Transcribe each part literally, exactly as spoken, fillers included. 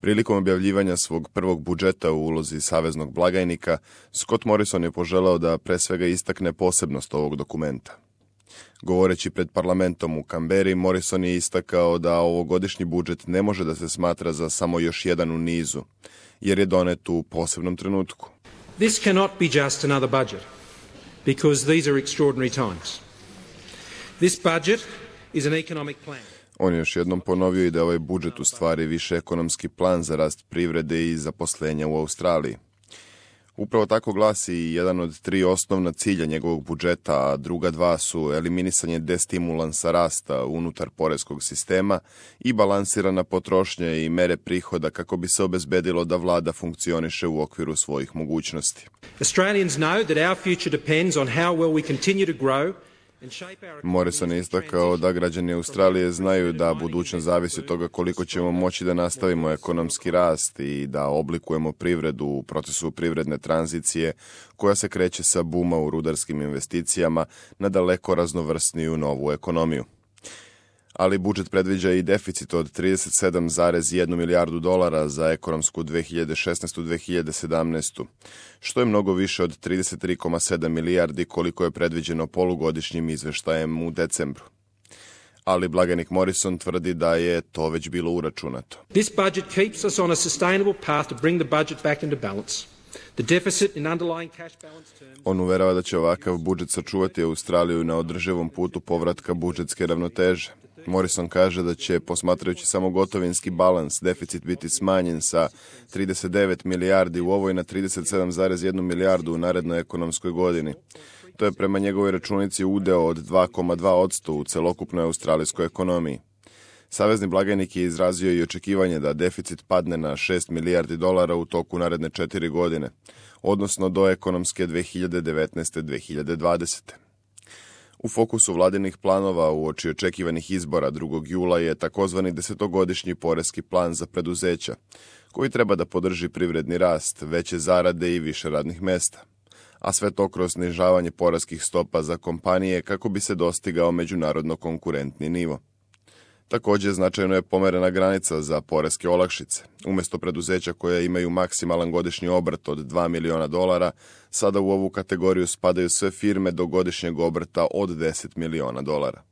Prilikom objavljivanja svog prvog budžeta u ulozi saveznog blagajnika, Scott Morrison je poželeo da pre svega istakne posebnost ovog dokumenta. Govoreći pred parlamentom u Kamberi, Morrison je istakao da ovogodišnji budžet ne može da se smatra za samo još jedan u nizu, jer je donet u posebnom trenutku. This cannot be just another budget, because these are extraordinary times. This budget is an economic plan. On je još jednom ponovio i da ovaj budžet u stvari više ekonomski plan za rast privrede i zaposlenja u Australiji. Upravo tako glasi i jedan od tri osnovna cilja njegovog budžeta, a druga dva su eliminisanje destimulansa rasta unutar poreskog sistema i balansirana potrošnja i mere prihoda kako bi se obezbedilo da vlada funkcioniše u okviru svojih mogućnosti. Australians know that our future depends on how well we continue to grow. Morrison je istakao da građani Australije znaju da budućnost zavisi od toga koliko ćemo moći da nastavimo ekonomski rast i da oblikujemo privredu u procesu privredne tranzicije koja se kreće sa buma u rudarskim investicijama na daleko raznovrsniju novu ekonomiju. Ali budžet predviđa i deficit od trideset sedam zarez jedan milijardu dolara za ekonomsku dve hiljade šesnaestu do dve hiljade sedamnaestu. što je mnogo više od trideset tri zarez sedam milijardi koliko je predviđeno polugodišnjim izveštajem u decembru. Ali blagajnik Morrison tvrdi da je to već bilo uračunato. This budget keeps us on a sustainable path to bring the budget back into balance. The deficit in underlying cash balance terms... On uverava da će ovakav budžet sačuvati Australiju na održivom putu povratka budžetske ravnoteže. Morrison kaže da će, posmatrajući samo gotovinski balans, deficit biti smanjen sa trideset devet milijardi u ovoj na trideset sedam zarez jedan milijardu u narednoj ekonomskoj godini. To je prema njegovoj računici udeo od dva zarez dva posto u celokupnoj australijskoj ekonomiji. Savezni blagajnik je izrazio i očekivanje da deficit padne na šest milijardi dolara u toku naredne četiri godine, odnosno do ekonomske dve hiljade devetnaeste do dve hiljade dvadesete. U fokusu vladinih planova uoči očekivanih izbora drugog jula je takozvani desetogodišnji poreski plan za preduzeća, koji treba da podrži privredni rast, veće zarade i više radnih mesta, a sve to kroz snižavanje poreskih stopa za kompanije kako bi se dostigao međunarodno konkurentni nivo. Također značajno je pomerena granica za poreske olakšice. Umjesto preduzeća koja imaju maksimalan godišnji obrt od dva miliona dolara, sada u ovu kategoriju spadaju sve firme do godišnjeg obrta od deset miliona dolara.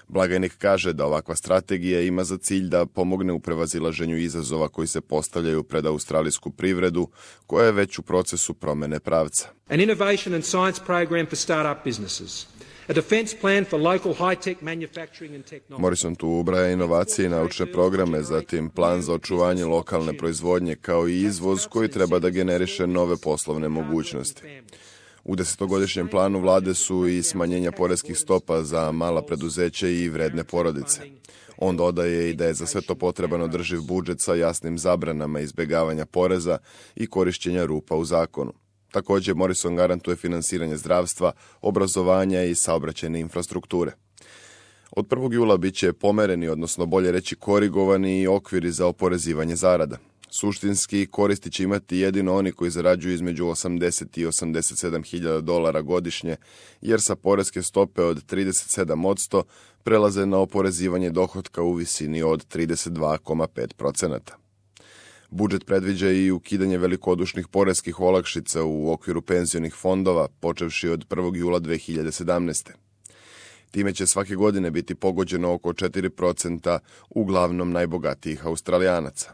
Blagajnik kaže da ovakva strategija ima za cilj da pomogne u prevazilaženju izazova koji se postavljaju pred australijsku privredu, koja je već u procesu promene pravca. An innovation and science program for start-up businesses. A defense plan for local high-tech manufacturing and technology. Morrison tu ubraja inovacije i naučne programe, zatim plan za očuvanje lokalne proizvodnje kao i izvoz koji treba da generiše nove poslovne mogućnosti. U desetogodišnjem planu vlade su i smanjenja poreskih stopa za mala preduzeća i vredne porodice. On dodaje i da je za sve to potreban održiv budžet sa jasnim zabranama izbjegavanja poreza i korišćenja rupa u zakonu. Također, Morrison garantuje finansiranje zdravstva, obrazovanja i saobraćajne infrastrukture. Od prvog jula bit će pomereni, odnosno bolje reći korigovani i okviri za oporezivanje zarada. Suštinski koristi će imati jedino oni koji zarađuju između osamdeset i osamdeset sedam hiljada dolara godišnje, jer sa poreske stope od trideset sedam posto prelaze na oporezivanje dohotka u visini od trideset dva zarez pet posto. Budžet predviđa i ukidanje velikodušnih poreskih olakšica u okviru penzionih fondova, počevši od prvog jula dve hiljade sedamnaeste. Time će svake godine biti pogođeno oko četiri procenta uglavnom najbogatijih Australijanaca.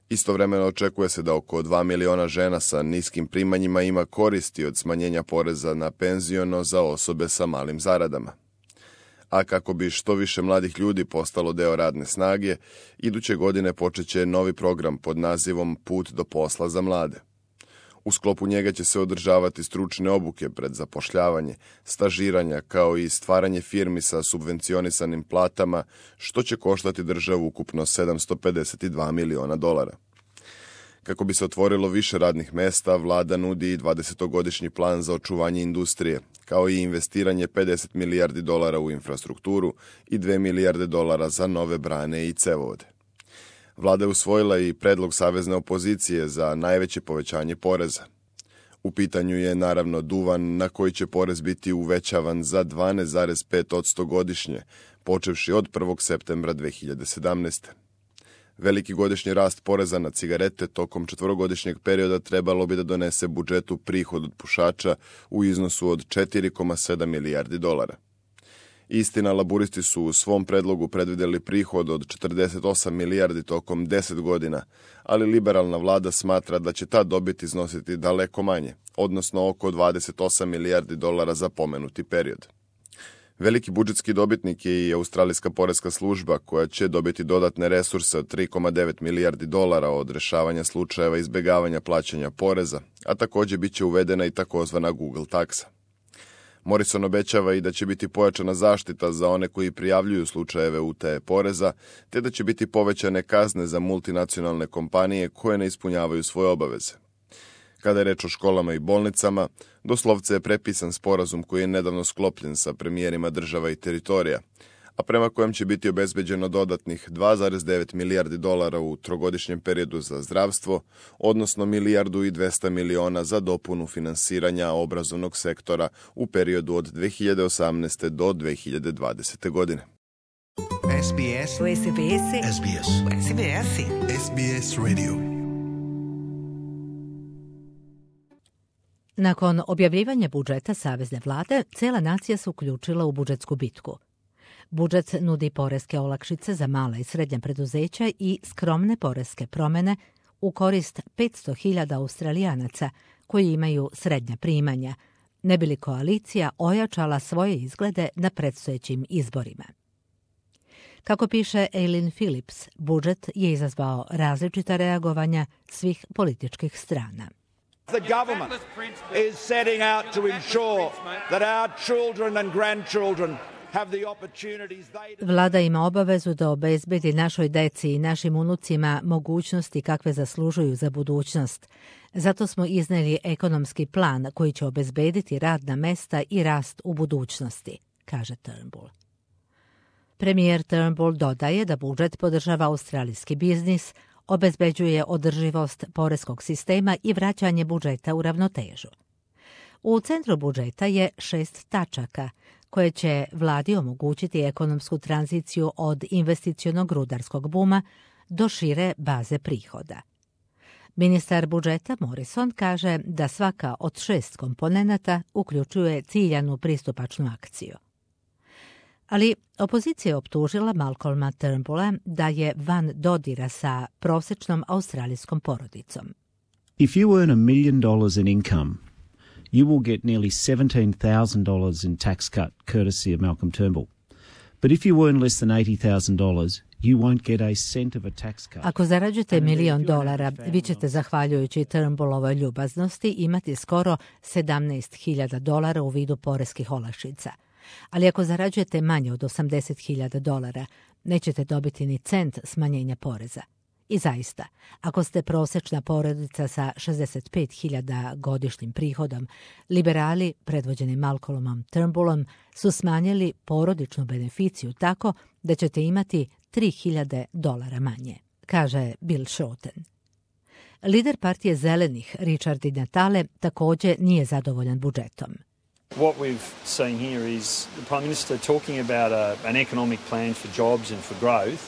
Istovremeno očekuje se da oko dva miliona žena sa niskim primanjima ima koristi od smanjenja poreza na penziono za osobe sa malim zaradama. A kako bi što više mladih ljudi postalo deo radne snage, iduće godine počeće novi program pod nazivom Put do posla za mlade. U sklopu njega će se održavati stručne obuke pred zapošljavanje, stažiranja kao i stvaranje firmi sa subvencionisanim platama, što će koštati državu ukupno sedamsto pedeset dva miliona dolara. Kako bi se otvorilo više radnih mesta, vlada nudi i dvadesetogodišnji plan za očuvanje industrije, kao i investiranje pedeset milijardi dolara u infrastrukturu i dve milijarde dolara za nove brane i cevovode. Vlada je usvojila i predlog savezne opozicije za najveće povećanje poreza. U pitanju je naravno duvan na koji će porez biti uvećavan za dvanaest zarez pet posto godišnje, počevši od prvog septembra dve hiljade sedamnaeste. Veliki godišnji rast poreza na cigarete tokom četvorogodišnjeg perioda trebalo bi da donese budžetu prihod od pušača u iznosu od četiri zarez sedam milijardi dolara. Istina, laburisti su u svom predlogu predvidjeli prihod od četrdeset osam milijardi tokom deset godina, ali liberalna vlada smatra da će ta dobit iznositi daleko manje, odnosno oko dvadeset osam milijardi dolara za pomenuti period. Veliki budžetski dobitnik je i Australijska poreska služba, koja će dobiti dodatne resurse od tri zarez devet milijardi dolara od rešavanja slučajeva izbjegavanja plaćanja poreza, a također bit će uvedena i takozvana Google taksa. Morrison obećava i da će biti pojačana zaštita za one koji prijavljuju slučajeve utaje poreza, te da će biti povećane kazne za multinacionalne kompanije koje ne ispunjavaju svoje obaveze. Kada je reč o školama i bolnicama, doslovce je prepisan sporazum koji je nedavno sklopljen sa premijerima država i teritorija, a prema kojem će biti obezbeđeno dodatnih dva zarez devet milijardi dolara u trogodišnjem periodu za zdravstvo, odnosno milijardu i dvesta miliona za dopunu finansiranja obrazovnog sektora u periodu od dve hiljade osamnaeste. do dve hiljade dvadesete. godine. S B S. S B S. S B S. S B S. S B S Radio. Nakon objavljivanja budžeta Savezne vlade, cijela nacija se uključila u budžetsku bitku. Budžet nudi poreske olakšice za mala i srednja preduzeća i skromne poreske promjene u korist petsto hiljada Australijanaca koji imaju srednja primanja, ne bi li koalicija ojačala svoje izglede na predstojećim izborima. Kako piše Aileen Phillips, budžet je izazvao različita reagovanja svih političkih strana. The government is setting out to ensure that our children and grandchildren have the opportunities they... Vlada ima obavezu da obezbedi našoj deci i našim unucima mogućnosti kakve zaslužuju za budućnost. Zato smo izneli ekonomski plan koji će obezbediti radna mesta i rast u budućnosti, kaže Turnbull. Premijer Turnbull dodaje da budžet podržava australijski biznis, obezbeđuje održivost poreskog sistema i vraćanje budžeta u ravnotežu. U centru budžeta je šest tačaka koje će vladi omogućiti ekonomsku tranziciju od investicionog rudarskog buma do šire baze prihoda. Ministar budžeta Morrison kaže da svaka od šest komponenata uključuje ciljanu pristupačnu akciju. Ali opozicija je optužila Malcolma Turnbulla da je van dodira sa prosječnom australijskom porodicom. If you earn a million dollars in income, you will get nearly seventeen thousand dollars in tax cut courtesy of Malcolm Turnbull. But if you earn less than eighty thousand dollars, you won't get a cent of a tax cut. Ako zarađujete milion dolara, vi ćete, zahvaljujući Turnbullovoj ljubaznosti, imati skoro sedamnaest hiljada dolara u vidu poreskih olakšica. Ali ako zarađujete manje od osamdeset hiljada dolara, nećete dobiti ni cent smanjenja poreza. I zaista, ako ste prosječna porodica sa šezdeset pet hiljada godišnjim prihodom, liberali, predvođeni Malcolmom Turnbullom, su smanjili porodičnu beneficiju tako da ćete imati tri hiljade dolara manje, kaže Bill Shorten. Lider partije Zelenih, Richard Di Natale, također nije zadovoljan budžetom. What we've seen here is the Prime Minister talking about a, an economic plan for jobs and for growth,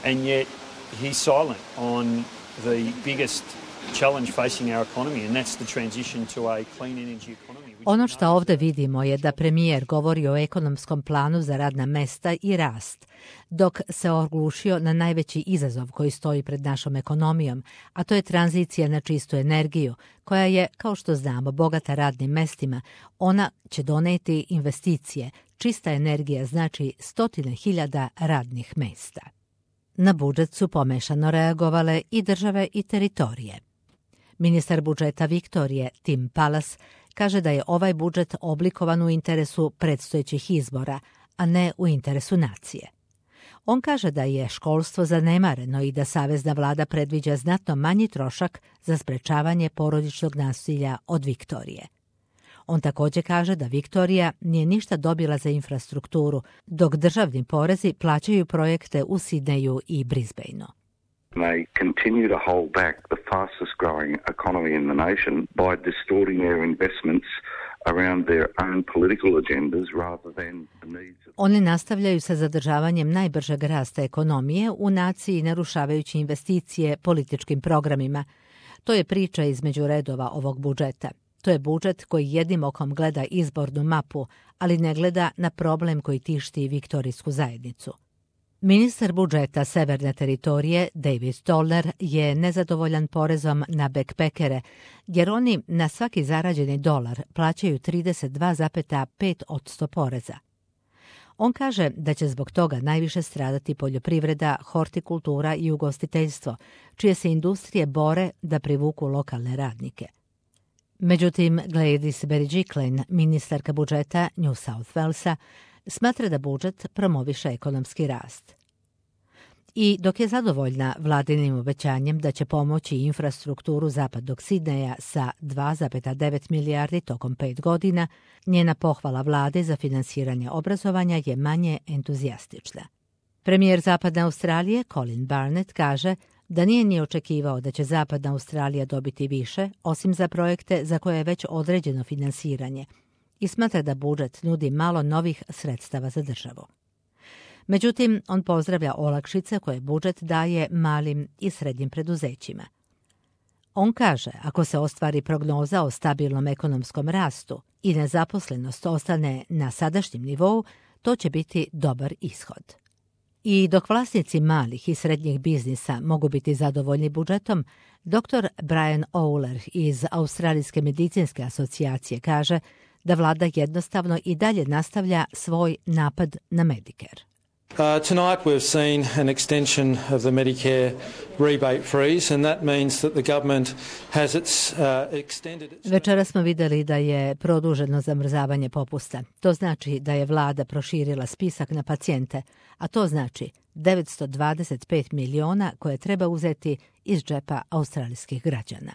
and yet he's silent on the biggest challenge facing our economy, and that's the transition to a clean energy economy. Ono što ovdje vidimo je da premijer govori o ekonomskom planu za radna mesta i rast, dok se oglušio na najveći izazov koji stoji pred našom ekonomijom, a to je tranzicija na čistu energiju, koja je, kao što znamo, bogata radnim mestima. Ona će doneti investicije. Čista energija znači stotine hiljada radnih mesta. Na budžet su pomešano reagovale i države i teritorije. Ministar budžeta Viktorije, Tim Pallas, kaže da je ovaj budžet oblikovan u interesu predstojećih izbora, a ne u interesu nacije. On kaže da je školstvo zanemareno i da savezna vlada predviđa znatno manji trošak za sprečavanje porodičnog nasilja od Viktorije. On također kaže da Viktorija nije ništa dobila za infrastrukturu, dok državni porezi plaćaju projekte u Sidneju i Brisbaneu. They continue to hold back the fastest growing economy in the nation by distorting their investments around their own political agendas rather than the needs of... Oni nastavljaju sa zadržavanjem najbržeg rasta ekonomije u naciji, narušavajući investicije političkim programima. To je priča između redova ovog budžeta. To je budžet koji jednim okom gleda izbornu mapu, ali ne gleda na problem koji tišti viktorijsku zajednicu. Ministar budžeta Severne teritorije David Toller je nezadovoljan porezom na bekpekere, jer oni na svaki zarađeni dolar plaćaju trideset dva zarez pet posto poreza. On kaže da će zbog toga najviše stradati poljoprivreda, hortikultura i ugostiteljstvo, čije se industrije bore da privuku lokalne radnike. Međutim, Gladys Berejiklian, ministarka budžeta New South Walesa, smatra da budžet promoviše ekonomski rast. I dok je zadovoljna vladinim obećanjem da će pomoći infrastrukturu zapadnog Sidneja sa dva zarez devet milijardi tokom pet godina, njena pohvala vlade za finansiranje obrazovanja je manje entuzijastična. Premijer Zapadne Australije Colin Barnett kaže da nije ni očekivao da će Zapadna Australija dobiti više, osim za projekte za koje je već određeno finansiranje, i smatra da budžet nudi malo novih sredstava za državu. Međutim, on pozdravlja olakšice koje budžet daje malim i srednjim preduzećima. On kaže, ako se ostvari prognoza o stabilnom ekonomskom rastu i nezaposlenost ostane na sadašnjem nivou, to će biti dobar ishod. I dok vlasnici malih i srednjih biznisa mogu biti zadovoljni budžetom, doktor Brian Owler iz Australijske medicinske asocijacije kaže da vlada jednostavno i dalje nastavlja svoj napad na Medicare. Uh, tonight we've seen an extension of the Medicare rebate freeze, and that means that the government has its uh, extended... Večera smo vidjeli da je produženo zamrzavanje popusta. To znači da je vlada proširila spisak na pacijente, a to znači devetsto dvadeset pet miliona koje treba uzeti iz džepa australijskih građana.